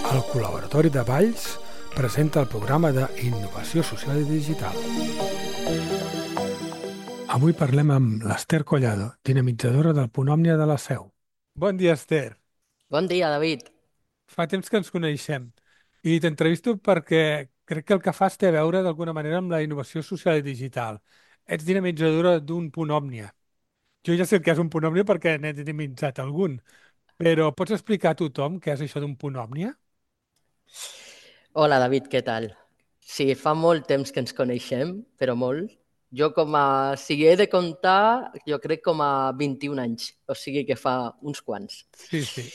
El Col·laboratori de Valls presenta el programa d'Innovació Social i Digital. Avui parlem amb l'Ester Collado, dinamitzadora del Punt Òmnia de la Seu. Bon dia, Ester. Bon dia, David. Fa temps que ens coneixem i t'entrevisto perquè crec que el que fas té a veure d'alguna manera amb la innovació social i digital. Ets dinamitzadora d'un Punt Òmnia. Jo ja sé el que és un Punt Òmnia perquè n'he dinamitzat algun, però pots explicar a tothom què és això d'un Punt Òmnia? Hola, David, què tal? Sí, fa molt temps que ens coneixem, però molt. Jo si he de comptar, jo crec com a 21 anys, o sigui que fa uns quants. Sí, sí.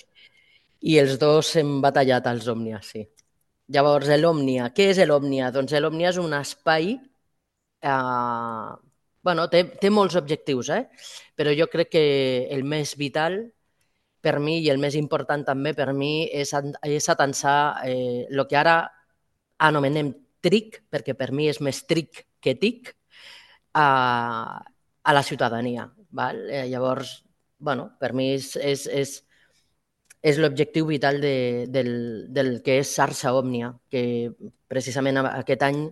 I els dos hem batallat als Òmnia, sí. Llavors, l'Òmnia, què és l'Òmnia? Doncs l'Òmnia és un espai, bueno, té molts objectius, però jo crec que el més vital per mi i el més important també per mi és atansar el que ara anomenem TRIC, perquè per mi és més TRIC que TIC, a la ciutadania. Val? Llavors, bueno, per mi és l'objectiu vital del que és xarxa Òmnia, que precisament aquest any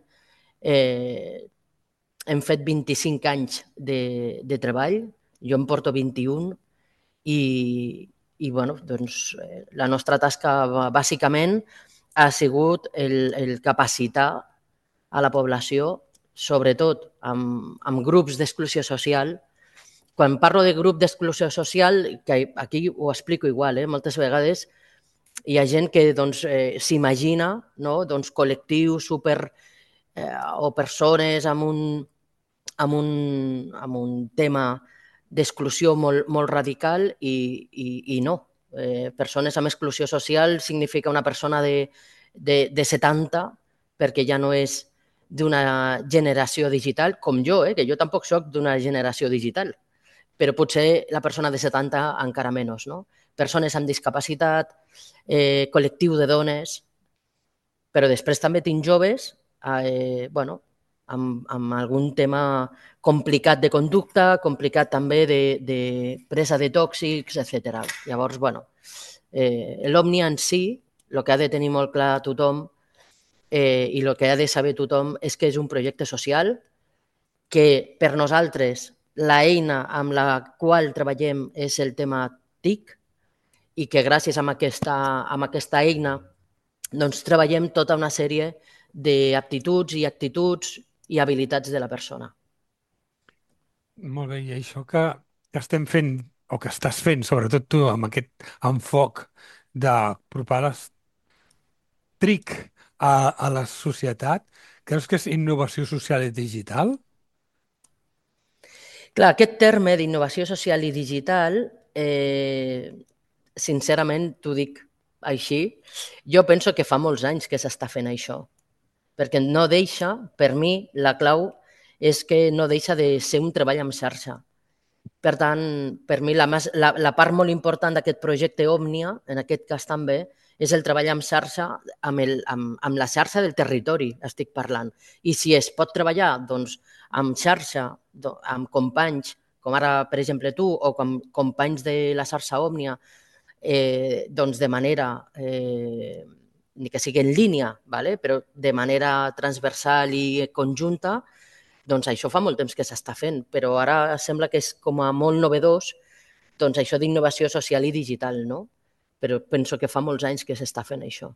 hem fet 25 anys de treball, jo em porto 21 i bueno, doncs, la nostra tasca bàsicament ha sigut el capacitar a la població, sobretot amb grups d'exclusió social. Quan parlo de grup d'exclusió social, que aquí ho explico igual, moltes vegades hi ha gent que doncs, s'imagina, no? Doncs, col·lectius o persones amb un tema d'exclusió molt radical i no. Persones amb exclusió social significa una persona de 70 perquè ja no és d'una generació digital, com jo, que jo tampoc soc d'una generació digital, però potser la persona de 70 encara menys. No? Persones amb discapacitat, col·lectiu de dones, però després també tinc joves amb algun tema complicat de conducta, complicat també de presa de tòxics, etc. Llavors, l'Òmnia en si, el que ha de tenir molt clar tothom i el que ha de saber tothom és que és un projecte social que per nosaltres l'eina amb la qual treballem és el tema TIC i que gràcies a aquesta eina doncs treballem tota una sèrie d'aptituds i actituds i habilitats de la persona. Molt bé, i això que estem fent, o que estàs fent, sobretot tu, amb aquest enfoc d'apropar les TRIC a la societat, creus que és innovació social i digital? Clar, aquest terme d'innovació social i digital, sincerament t'ho dic així, jo penso que fa molts anys que s'està fent això, perquè no deixa, per mi, la clau és que no deixa de ser un treball en xarxa. Per tant, per mi la part molt important d'aquest projecte Òmnia, en aquest cas també, és el treball en xarxa, amb la xarxa del territori, estic parlant. I si es pot treballar doncs, amb xarxa, amb companys, com ara, per exemple, tu, o com companys de la xarxa Òmnia, doncs de manera, ni que sigui en línia, però de manera transversal i conjunta, doncs això fa molt temps que s'està fent, però ara sembla que és com a molt novedós doncs això d'innovació social i digital, no? Però penso que fa molts anys que s'està fent això.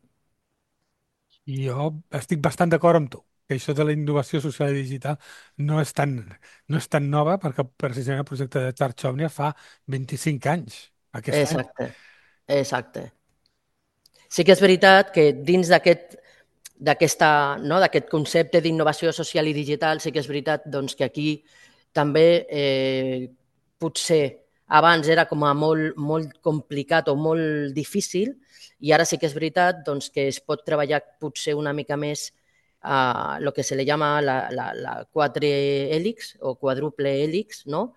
I jo estic bastant d'acord amb tu, que això de la innovació social i digital no és tan nova, perquè precisament el projecte de Xarxa Òmnia fa 25 anys, aquest any. Exacte, exacte. Sí que és veritat que dins d'aquest concepte d'innovació social i digital, sí que és veritat doncs, que aquí també potser abans era com a molt complicat o molt difícil i ara sí que és veritat doncs, que es pot treballar potser una mica més el que se li llama la quatre hèlix o quadruple hèlix, no?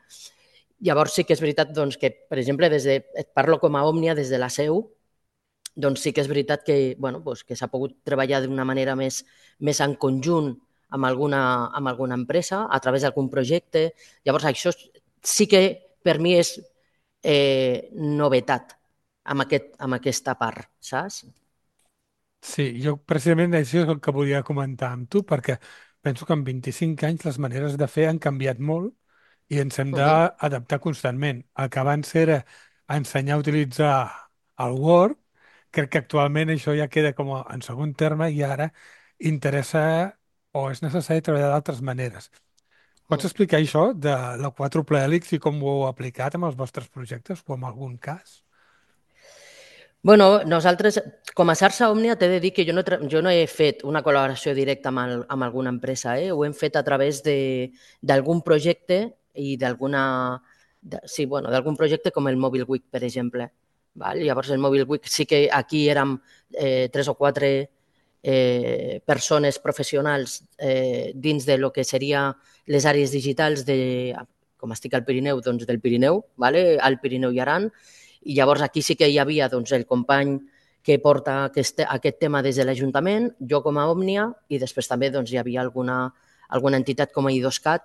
Llavors sí que és veritat doncs, que, per exemple, et parlo com a Òmnia des de la seu, doncs sí que és veritat que, doncs que s'ha pogut treballar d'una manera més en conjunt amb alguna empresa, a través d'algun projecte. Llavors, això sí que per mi és novetat amb aquesta part, saps? Sí, jo precisament això és el que volia comentar amb tu, perquè penso que en 25 anys les maneres de fer han canviat molt i ens hem Mhm. d'adaptar constantment. El que abans era ensenyar a utilitzar el Word, crec que actualment això ja queda com en segon terme i ara interessa o és necessari treballar d'altres maneres. Pots Mm. explicar això de la 4 Hèlix i com ho heu aplicat amb els vostres projectes o en algun cas? Bueno, nosaltres, com a xarxa Òmnia, t'he de dir que jo no he fet una col·laboració directa amb alguna empresa, ho hem fet a través d'algun projecte i sí, bueno, d'algun projecte com el Mobile Week, per exemple. Val? Llavors, el Mobile Week sí que aquí érem 3 o 4 persones professionals dins de lo que seria les àrees digitals com estic al Pirineu, doncs del Pirineu, vale? Al Pirineu i Aran, i llavors aquí sí que hi havia doncs, el company que porta aquest tema des de l'Ajuntament, jo com a Òmnia, i després també doncs, hi havia alguna entitat com a IDOSCAT,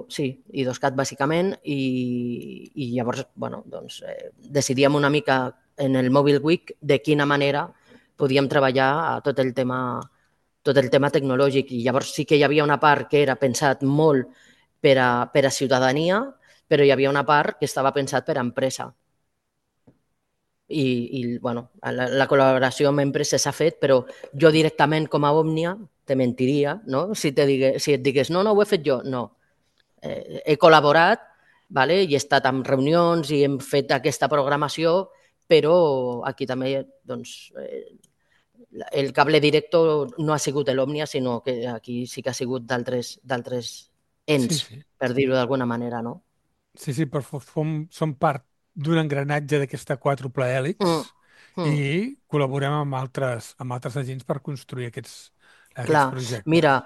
sí, IDOSCAT bàsicament, i llavors bueno, doncs, decidíem una mica en el Mobile Week de quina manera podíem treballar a tot el tema tecnològic. I llavors sí que hi havia una part que era pensat molt per a ciutadania, però hi havia una part que estava pensat per a empresa. I bueno, la col·laboració amb empreses s'ha fet, però jo directament com a Òmnia te mentiria, no? Si et digués, no, ho he fet jo. No. He col·laborat, vale? I he estat en reunions i hem fet aquesta programació, però aquí també doncs, el cable directo no ha sigut l'Òmnia, sinó que aquí sí que ha sigut d'altres Sí, ens, sí. per dir-ho d'alguna manera, no? Sí, sí, però som part d'un engranatge d'aquesta quàdruple hèlix Mm, i mm. col·laborem amb altres agents per construir aquests Clar, projectes. mira,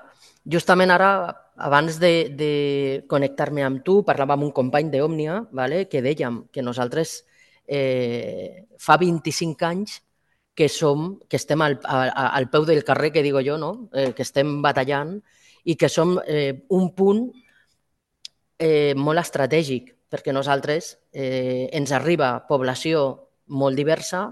justament ara, abans de connectar-me amb tu, parlava amb un company d'Òmnia, vale? Que dèiem que nosaltres fa 25 anys que estem al peu del carrer, que digo jo, no? Que estem batallant i que som un punt molt estratègic, perquè nosaltres ens arriba població molt diversa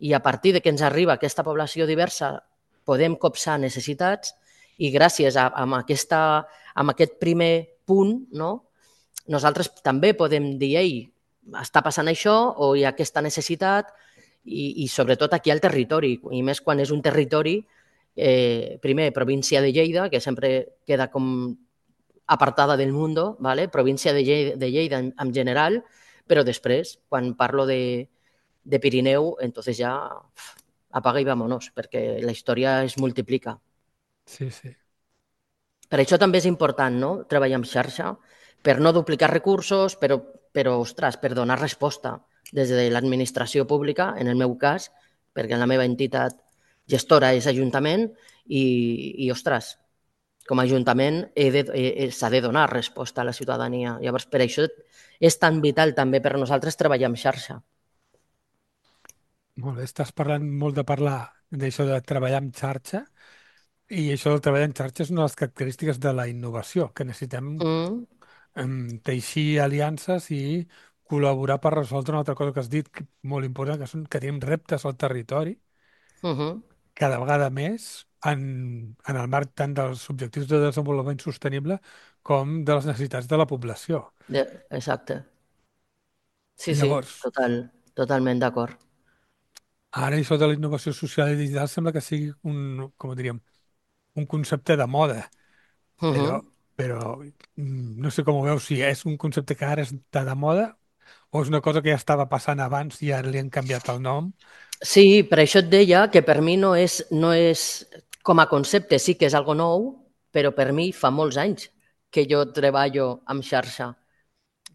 i a partir de que ens arriba aquesta població diversa podem copsar necessitats i gràcies amb aquest primer punt, no? Nosaltres també podem dir, ei, està passant això o hi ha aquesta necessitat i sobretot aquí al territori, i més quan és un territori, primer, província de Lleida, que sempre queda com apartada del mundo, ¿vale? Província de Lleida en general, però després, quan parlo de Pirineu, entonces ja apaga i vámonos, perquè la història es multiplica. Sí, sí. Per això també és important, no?, treballar en xarxa, per no duplicar recursos, però ostres, per donar resposta des de l'administració pública, en el meu cas, perquè la meva entitat gestora és Ajuntament, ostres, com a Ajuntament s'ha de donar resposta a la ciutadania. Llavors, per això és tan vital també per nosaltres treballar en xarxa. Molt bé, estàs parlant molt de parlar d'això de treballar en xarxa i això del treball en xarxa és una de les característiques de la innovació, que necessitem Mm, teixir aliances i col·laborar per resoldre una altra cosa que has dit, molt important, que tenim reptes al territori uh-huh. cada vegada més en el marc tant dels objectius de desenvolupament sostenible com de les necessitats de la població. Exacte. Sí, sí, Llavors, totalment d'acord. ara això de la innovació social i digital sembla que sigui com ho diríem, un concepte de moda, però, Uh-huh. però no sé com ho veus, si és un concepte que ara està de moda o és una cosa que ja estava passant abans i ara li han canviat el nom. Sí, per això et deia que per mi no és com a concepte, sí que és algo nou, però per mi fa molts anys que jo treballo amb xarxa.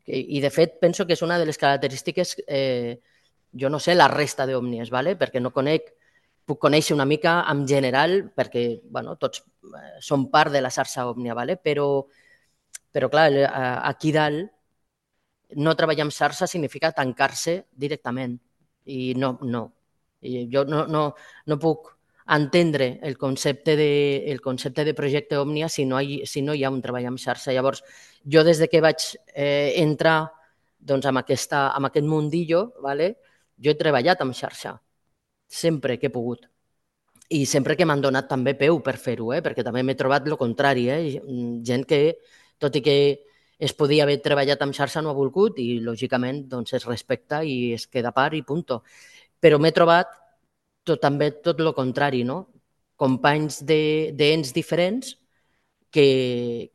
I de fet, penso que és una de les característiques, jo no sé la resta d'òmnies, ¿vale? Perquè no conec, puc conèixer una mica en general, perquè bueno, tots som part de la xarxa òmnia, ¿vale? Però clar, aquí dalt no treballar amb xarxa significa tancar-se directament. I no, no. I jo no puc entendre el concepte de projecte Òmnia si no hi ha un treball amb xarxa. Llavors, jo des de que vaig entrar doncs, amb aquest mundillo, vale, jo he treballat amb xarxa, sempre que he pogut. i sempre que m'han donat també peu per fer-ho, perquè també m'he trobat el contrari, gent que, tot i que es podia haver treballat amb xarxa, no ha volgut i, lògicament, doncs es respecta i es queda a part i punt. Però m'he trobat també tot el contrari, no? Companys d'ens diferents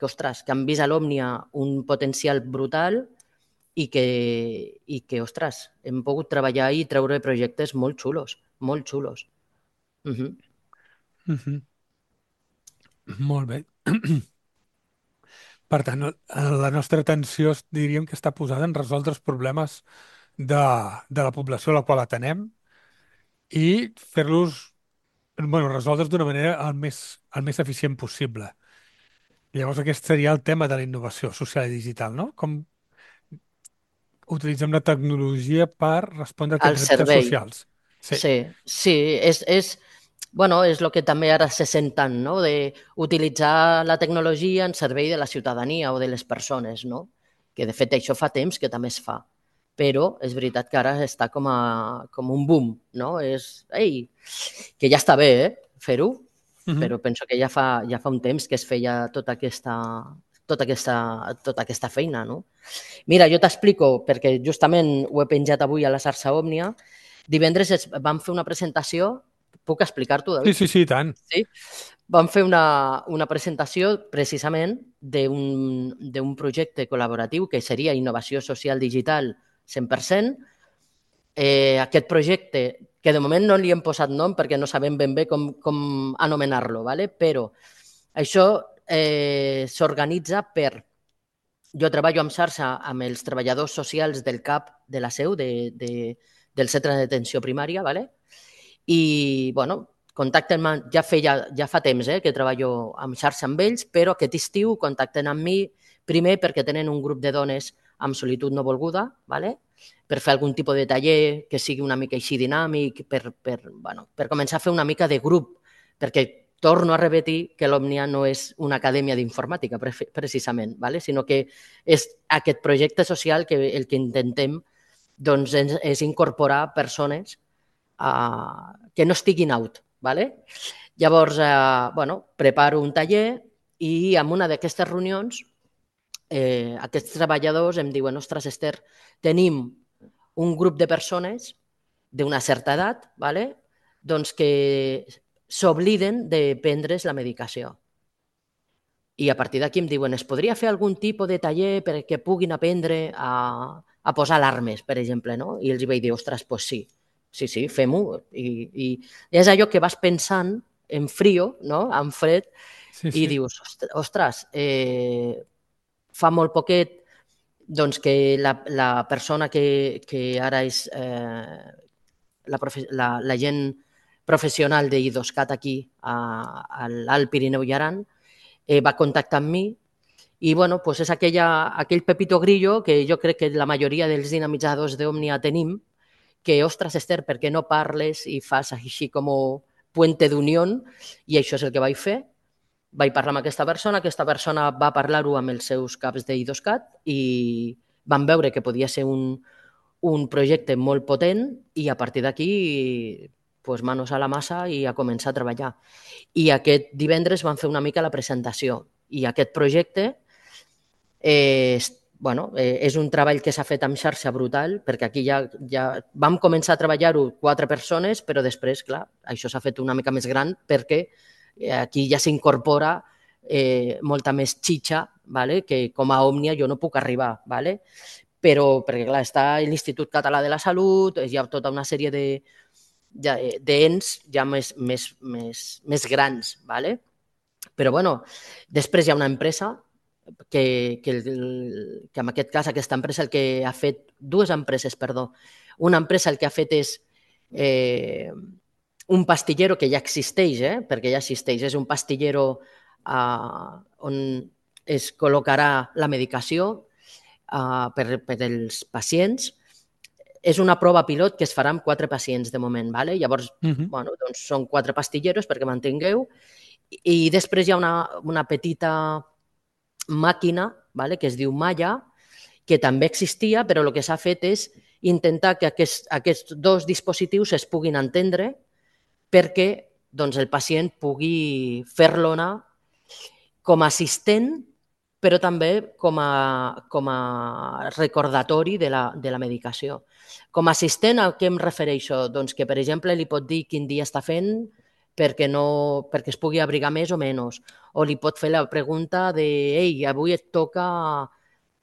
ostres, que han vist a l'Òmnia un potencial brutal ostres, hem pogut treballar i treure projectes molt xulos, molt xulos. Mhm. Molt bé. Per tant, la nostra atenció diríem que està posada en resoldre els problemes de la població a la qual atenem i fer-los, bueno, resoldre's d'una manera el més eficient possible. Llavors aquest seria el tema de la innovació social i digital, no? Com utilitzem la tecnologia per respondre a Al aquests reptes servei. socials. Sí. Sí, sí, bueno, és el que també ara se sent tant, no? De utilitzar la tecnologia en servei de la ciutadania o de les persones, no? Que de fet això fa temps que també es fa, però és veritat que ara està com un boom, no? Ei, que ja està bé, fer-ho, Mhm. però penso que ja fa un temps que es feia tota aquesta feina, no? Mira, jo t'explico, perquè justament ho he penjat avui a la xarxa Òmnia. Divendres vam fer una presentació. Puc explicar-t'ho, Sí, David? sí, sí, i tant. Sí? Vam fer una presentació precisament d'un projecte col·laboratiu que seria innovació social digital 100%. Aquest projecte, que de moment no li hem posat nom perquè no sabem ben bé com anomenar-lo, ¿vale? Però això s'organitza per... Jo treballo en xarxa amb els treballadors socials del CAP de la Seu, del Centre d'Atenció Primària, ¿vale? I, bueno, contacten ja fa temps que treballo en xarxa amb ells, però aquest estiu contacten amb mi primer perquè tenen un grup de dones amb solitud no volguda, ¿vale? Per fer algun tipus de taller que sigui una mica així dinàmic, per començar a fer una mica de grup, perquè torno a repetir que l'Òmnia no és una acadèmia d'informàtica, precisament, ¿vale? Sinó que és aquest projecte social que el que intentem doncs, és incorporar persones que no estiguin out. ¿Vale? Llavors, bueno, preparo un taller i en una d'aquestes reunions aquests treballadors em diuen: ostres, Esther, tenim un grup de persones d'una certa edat, ¿vale? Doncs que s'obliden de prendre's la medicació. I a partir d'aquí em diuen: es podria fer algun tipus de taller perquè puguin aprendre a posar alarmes, per exemple, no? I els vaig dir: ostres, doncs sí, sí, fem-ho. I és allò que vas pensant en frio, no? En fred, Sí, i sí. dius: ostres, fa molt poquet doncs, que la persona que ara és la gent professional d'Idoscat aquí a l'Alt Pirineu i Aran va contactar amb mi i bueno, pues és aquell pepito grillo que jo crec que la majoria dels dinamitzadors d'Òmnia tenim, que, ostres, Esther, per què no parles i fas així com puente d'unió? I això és el que vaig fer. Vaig parlar amb aquesta persona va parlar-ho amb els seus caps d'Idoscat i van veure que podia ser un projecte molt potent i a partir d'aquí pues, manos a la massa i a començar a treballar. I aquest divendres van fer una mica la presentació i aquest projecte és un treball que s'ha fet amb xarxa brutal, perquè aquí ja vam començar a treballar-ho 4 persones, però després, clar, això s'ha fet una mica més gran perquè aquí ja s'incorpora molta més xitxa, ¿vale? Que com a Òmnia jo no puc arribar, ¿vale? Però perquè clar, està l'Institut Català de la Salut, hi ha tota una sèrie d'ens ja més grans, ¿vale? Però bueno, després hi ha una empresa que en aquest cas aquesta empresa el que ha fet, dues empreses, perdó, una empresa el que ha fet és un pastillero que ja existeix, perquè ja existeix, és un pastillero on es col·locarà la medicació per als pacients. És una prova pilot que es farà amb 4 pacients de moment. ¿Vale? Llavors, bueno, doncs són 4 pastilleros, perquè m'entengueu, i després hi ha una petita màquina, ¿vale? Que es diu Maya, que també existia, però el que s'ha fet és intentar que aquests dos dispositius es puguin entendre perquè doncs el pacient pugui fer-lo anar com a assistent, però també com a recordatori de la medicació. Com a assistent, a què em refereixo? Doncs que, per exemple, li pot dir quin dia està fent perquè es pugui abrigar més o menys, o li pot fer la pregunta de «Ei, avui et toca...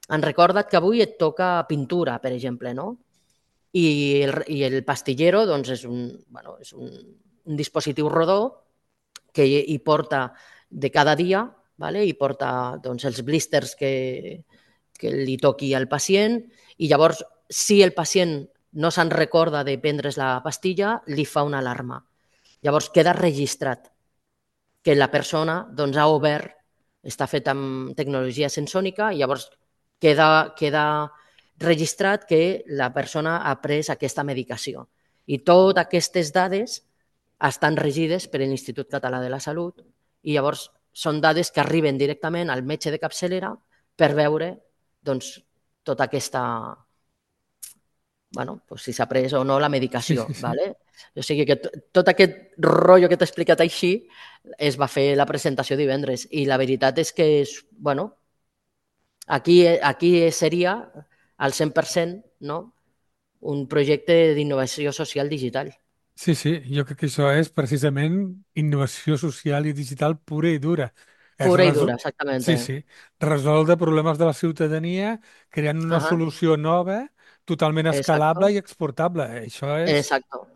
En recorda't que avui et toca pintura», per exemple, no? I el pastillero doncs, és un dispositiu rodó que hi porta de cada dia, vale? Hi porta doncs, els blísters que li toqui al pacient i llavors, si el pacient no se'n recorda de prendre's la pastilla, li fa una alarma. Llavors queda registrat que la persona doncs, ha obert, està fet amb tecnologia sensònica i llavors queda registrat que la persona ha pres aquesta medicació. I totes aquestes dades estan regides per l'Institut Català de la Salut i llavors són dades que arriben directament al metge de capçalera per veure doncs, tota aquesta... Bueno, doncs si s'ha pres o no la Sí, medicació. sí, sí. ¿Vale? O sigui que tot aquest rotllo que t'he explicat així es va fer la presentació divendres i la veritat és que bueno, aquí seria al 100%, no? Un projecte d'innovació social digital. Sí, sí, jo crec que això és precisament innovació social i digital pura i dura. És Pura y dura, Sí, exactamente. sí, resoldre problemes de la ciutadania creant una Ajá, solució nova, totalment escalable exacto, i exportable. Això és... exacto.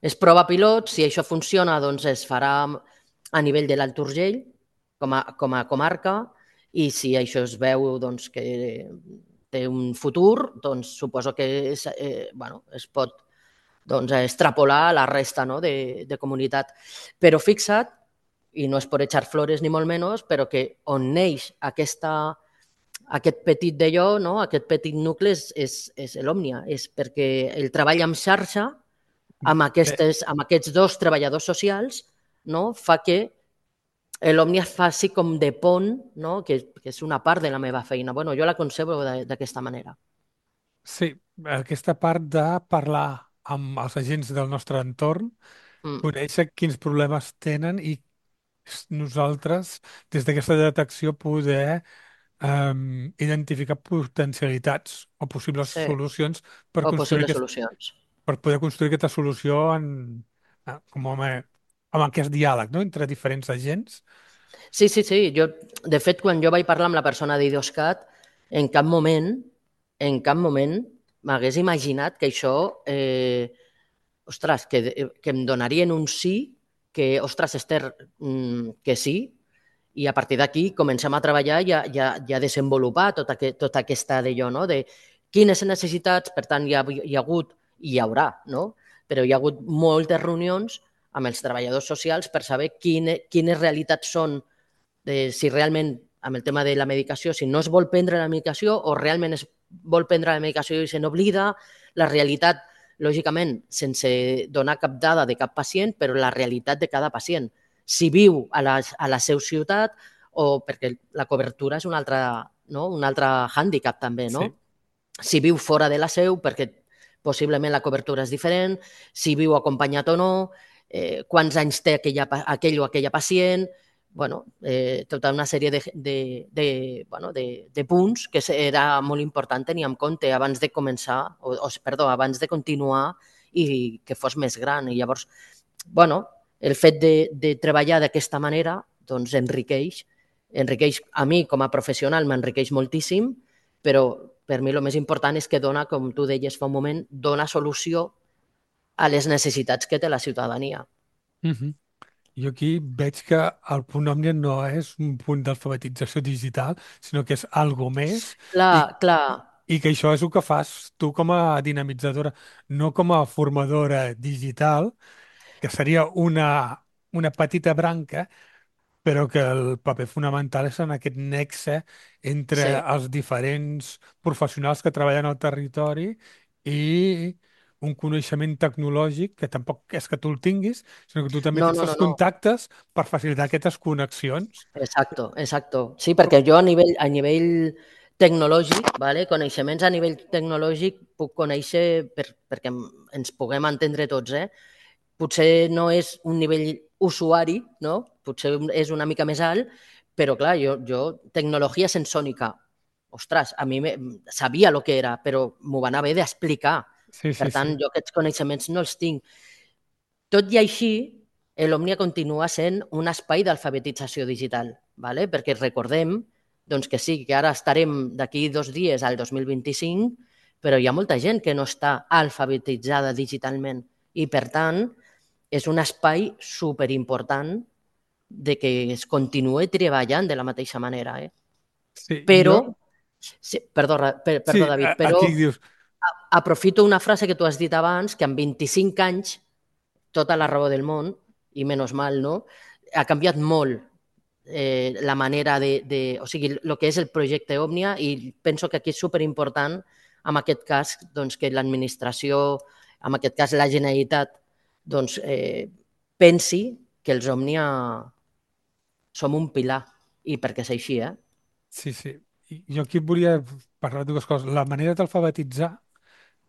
És prova pilot, si això funciona, doncs es farà a nivell de l'Alt Urgell, com a comarca, i si això es veu doncs, que té un futur, doncs suposo que bueno, es pot doncs, extrapolar a la resta, no?, de comunitat. Però fixa't, i no és per echar flores ni molt menys, però que on neix aquest petit d'allò, no?, aquest petit nucli és l'Òmnia, és perquè el treball en xarxa Bé, amb aquests dos treballadors socials, no?, fa que l'Òmnia faci com de pont, no?, que és una part de la meva feina. Bueno, jo la concebo d'aquesta manera. sí, aquesta part de parlar amb els agents del nostre entorn, Mm, conèixer quins problemes tenen i nosaltres, des d'aquesta detecció, poder identificar potencialitats o possibles sí, solucions per o construir possibles solucions. per poder construir aquesta solució amb aquest diàleg, no?, entre diferents agents. Sí, sí, sí. De fet, quan jo vaig parlar amb la persona d'Idoscat, en cap moment m'hagués imaginat que això, ostres, que em donarien un sí, que, ostres, Esther, que sí, i a partir d'aquí comencem a treballar i a desenvolupar tota aquesta d'allò, no?, de quines necessitats, per tant, hi ha hagut, i hi haurà, no?, però hi ha hagut moltes reunions amb els treballadors socials per saber quines realitats són, si realment amb el tema de la medicació, si no es vol prendre la medicació o realment es vol prendre la medicació i se n'oblida, la realitat, lògicament, sense donar cap dada de cap pacient, però la realitat de cada pacient. Si viu a la seva ciutat o perquè la cobertura és un altre hàndicap també, no? Sí, Si viu fora de la seu perquè possiblement la cobertura és diferent, si viu acompanyat o no, quants anys té aquell o aquella pacient, bueno, tota una sèrie de punts que era molt important tenir en compte abans de començar, abans de continuar i que fos més gran. I llavors, bueno, el fet de treballar d'aquesta manera doncs enriqueix a mi com a professional, m'enriqueix moltíssim, però per mi el més important és que dona, com tu deies fa un moment, dona solució a les necessitats que té la ciutadania. mhm. Jo aquí veig que el punt òmnia no és un punt d'alfabetització digital, sinó que és algo més i, Clar, clar, i que això és el que fas tu com a dinamitzadora, no com a formadora digital, que seria una petita branca, però que el paper fonamental és en aquest nexe entre sí. els diferents professionals que treballen al territori i un coneixement tecnològic que tampoc és que tu el tinguis, sinó que tu també No, tens no, els no, no. contactes per facilitar aquestes connexions. Exacto, exacto. Sí, perquè jo a nivell tecnològic, vale? Coneixements a nivell tecnològic puc conèixer perquè ens puguem entendre tots, potser no és un nivell usuari, no? Potser és una mica més alt, però clar, tecnologia sensònica, ostres, sabia el que era, però m'ho van haver d'explicar. Sí, Per sí, tant, sí. jo aquests coneixements no els tinc. Tot i així, l'Òmnia continua sent un espai d'alfabetització digital, ¿vale? Perquè recordem doncs que sí, que ara estarem d'aquí 2 dies al 2025, però hi ha molta gent que no està alfabetitzada digitalment i, per tant, és un espai superimportant de que es continuï treballant de la mateixa manera. Sí, Però, jo... sí, perdó, Sí, David, però aquí dius... aprofito una frase que tu has dit abans, que en 25 anys, tota la raó del món, i menys mal, no? Ha canviat molt la manera o sigui, el que és el projecte Òmnia, i penso que aquí és superimportant, en aquest cas, doncs, que l'administració, en aquest cas la Generalitat, doncs, pensi que els Òmnia som un pilar, i perquè és així, eh? Sí, sí. I jo aquí volia parlar de dues coses. La manera d'alfabetitzar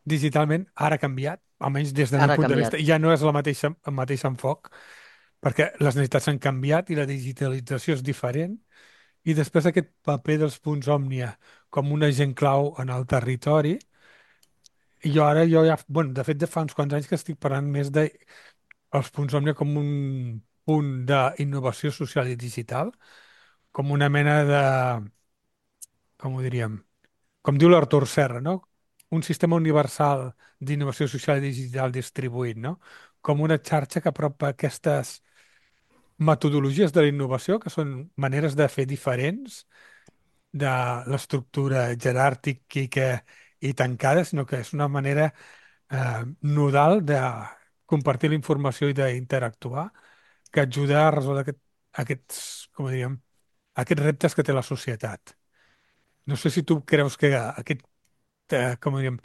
digitalment ara ha canviat, almenys des del meu Ara ha punt de vista. canviat. Ja no és el mateix enfoc, perquè les necessitats han canviat i la digitalització és diferent. I després aquest paper dels punts òmnia com un agent clau en el territori, i jo ja, bueno, de fet, de fa uns quants anys que estic parlant més de els punts òmnia com un punt d'innovació social i digital, com una mena de, com ho diríem, com diu l'Artur Serra, no? Un sistema universal d'innovació social i digital distribuït, no? Com una xarxa que apropa aquestes metodologies de la innovació, que són maneres de fer diferents de l'estructura jeràrquica i tancada, sinó que és una manera nodal de compartir la informació i d'interactuar que ajuda a resoldre aquests, com diríem, aquests reptes que té la societat. No sé si tu creus que aquest, com diríem,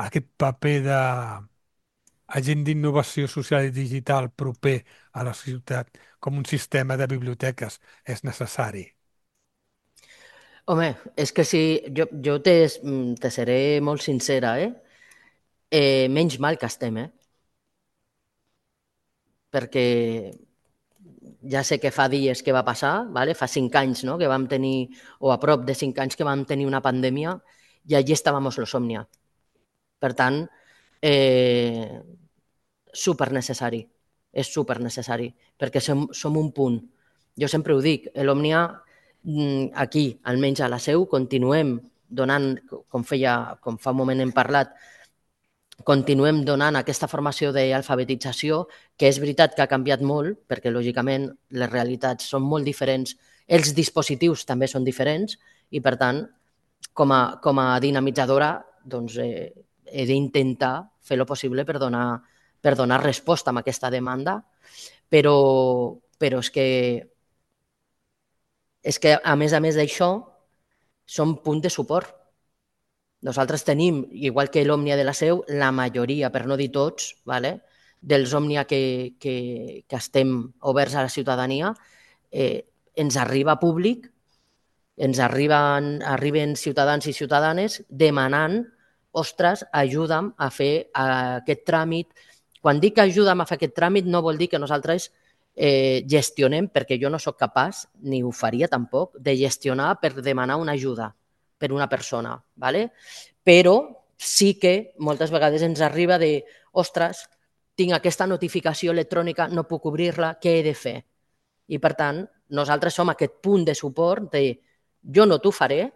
aquest paper d'agent d'innovació social i digital proper a la ciutat com un sistema de biblioteques és necessari. Home, és que si jo te seré molt sincera, menys mal que estem, perquè ja sé que fa dies que va passar, vale? Fa 5 anys, no? Que vam tenir, o a prop de 5 anys que vam tenir una pandèmia, i allí estàvem los Òmnia. Per tant, eh, super necessari, és super necessari, perquè som un punt. Jo sempre ho dic, l'Òmnia, aquí, almenys a la Seu, continuem donant, com fa un moment hem parlat, continuem donant aquesta formació d'alfabetització, que és veritat que ha canviat molt, perquè lògicament les realitats són molt diferents, els dispositius també són diferents, i per tant, com a dinamitzadora, doncs, he d'intentar fer el possible per donar resposta a aquesta demanda, però és que a més d'això, som punt de suport. Nosaltres tenim, igual que l'Òmnia de la Seu, la majoria, per no dir tots, vale, dels Òmnia que estem oberts a la ciutadania, ens arriba públic, arriben ciutadans i ciutadanes demanant, ostres, ajuda'm a fer aquest tràmit. Quan dic ajuda'm a fer aquest tràmit no vol dir que nosaltres gestionem, perquè jo no sóc capaç, ni ho faria tampoc, de gestionar per demanar una ajuda per una persona, ¿vale? Però sí que moltes vegades ens arriba de, ostres, tinc aquesta notificació electrònica, no puc obrir-la, què he de fer? I per tant, nosaltres som aquest punt de suport de jo no t'ho faré,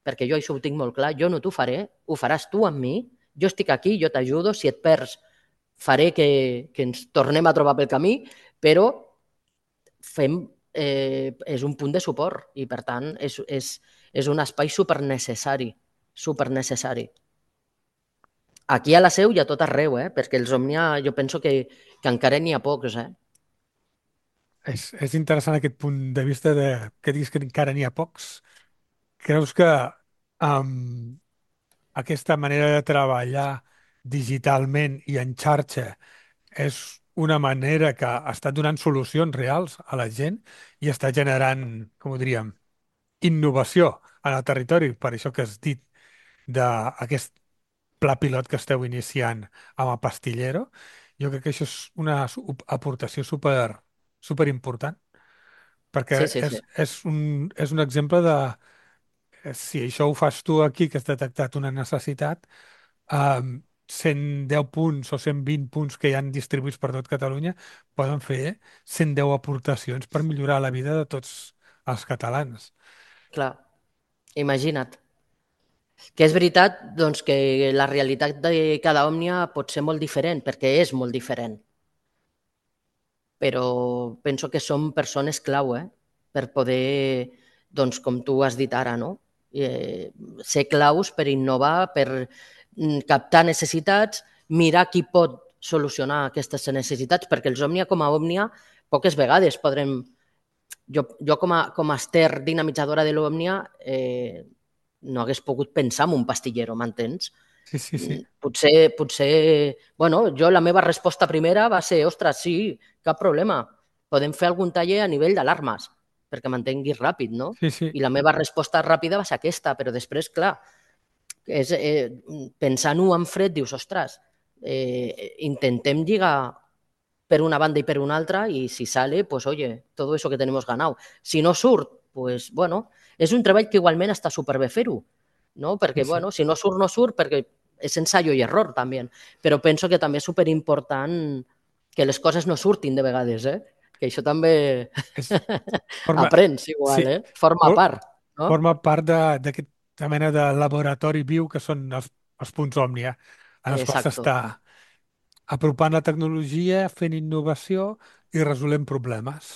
perquè jo això ho tinc molt clar, jo no t'ho faré, ho faràs tu amb mi, jo estic aquí, jo t'ajudo, si et perds faré que ens tornem a trobar pel camí, però fem, és un punt de suport i per tant és un espai supernecessari, supernecessari. Aquí a la Seu i a tot arreu, perquè els Òmnia jo penso que encara n'hi ha pocs. És interessant aquest punt de vista de que diguis que encara n'hi ha pocs. Creus que amb aquesta manera de treballar digitalment i en xarxa és una manera que està donant solucions reals a la gent i està generant, com ho diríem, innovació en el territori, per això que has dit d'aquest pla pilot que esteu iniciant amb el Pastillero. Jo crec que això és una aportació super, superimportant, perquè Sí, sí, sí. és un exemple de si això ho fas tu aquí, que has detectat una necessitat, 110 punts o 120 punts que hi han distribuïts per tot Catalunya poden fer 110 aportacions per millorar la vida de tots els catalans. Clar, imagina't. Que és veritat doncs, que la realitat de cada òmnia pot ser molt diferent, perquè és molt diferent, però penso que som persones clau, per poder, doncs, com tu has dit ara, no? Ser claus per innovar, per captar necessitats, mirar qui pot solucionar aquestes necessitats, perquè els òmnia com a òmnia poques vegades podrem... Jo com a Ester dinamitzadora de l'òmnia no hagués pogut pensar en un pastillero, m'entens? Sí, sí, sí. Potser, bueno, jo la meva resposta primera va ser, ostres, sí, cap problema, podem fer algun taller a nivell d'alarmes, perquè m'entenguis ràpid, no? Sí, sí. I la meva resposta ràpida va ser aquesta, però després, clar, pensant-ho en fred, dius, ostres, intentem lligar per una banda y per una altra y si sale, pues oye, todo eso que tenemos ganado. Si no surt, pues bueno, és un treball que igualment està superbé fer-ho, no? Sí, Perquè, sí. bueno, si no surt, no surt, perquè és ensayo i error també. Però penso que també és superimportant que les coses no surtin de vegades, que això també És, forma, aprens sí, igual, forma for- part, no? forma part d'aquesta mena de laboratori viu que són els punts Òmnia, en els quals Exacto, s'està apropant la tecnologia, fent innovació i resolent problemes.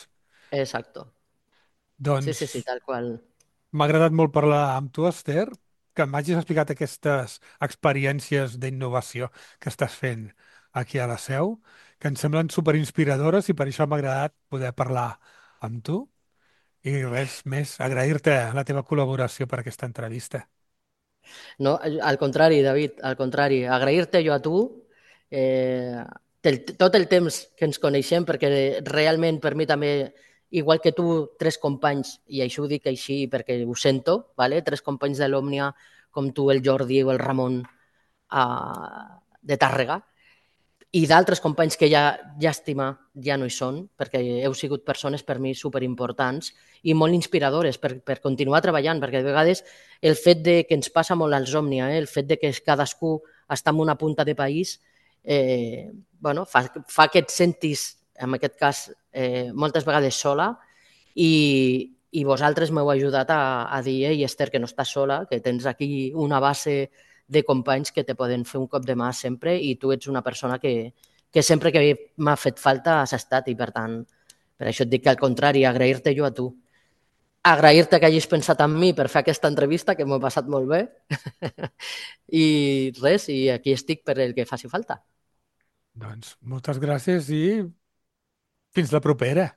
exacto. Sí, sí, sí, Doncs tal qual. m'ha agradat molt parlar amb tu, Esther, que m'hagis explicat aquestes experiències d'innovació que estàs fent aquí a la Seu, que em semblen superinspiradores i per això m'ha agradat poder parlar amb tu. I res més, agrair-te la teva col·laboració per aquesta entrevista. No, al contrari, David, al contrari. Agrair-te jo a tu tot el temps que ens coneixem, perquè realment per mi també, igual que tu, tres companys, i això ho dic així perquè ho sento, vale? Tres companys de l'Òmnia, com tu, el Jordi o el Ramon de Tàrrega, i d'altres companys que ja, llàstima, ja no hi són, perquè heu sigut persones per mi superimportants i molt inspiradores per continuar treballant, perquè de vegades el fet de que ens passa molt als Òmnia, el fet de que cadascú està en una punta de país, bueno, fa que et sentis, en aquest cas, moltes vegades sola i vosaltres m'heu ajudat a dir, ei, Esther, que no estàs sola, que tens aquí una base de companys que te poden fer un cop de mà sempre i tu ets una persona que sempre que m'ha fet falta has estat i per tant, per això et dic que al contrari, agrair-te jo a tu. Agrair-te que hagis pensat en mi per fer aquesta entrevista, que m'ho he passat molt bé. I res, i aquí estic per el que faci falta. Doncs moltes gràcies i fins la propera.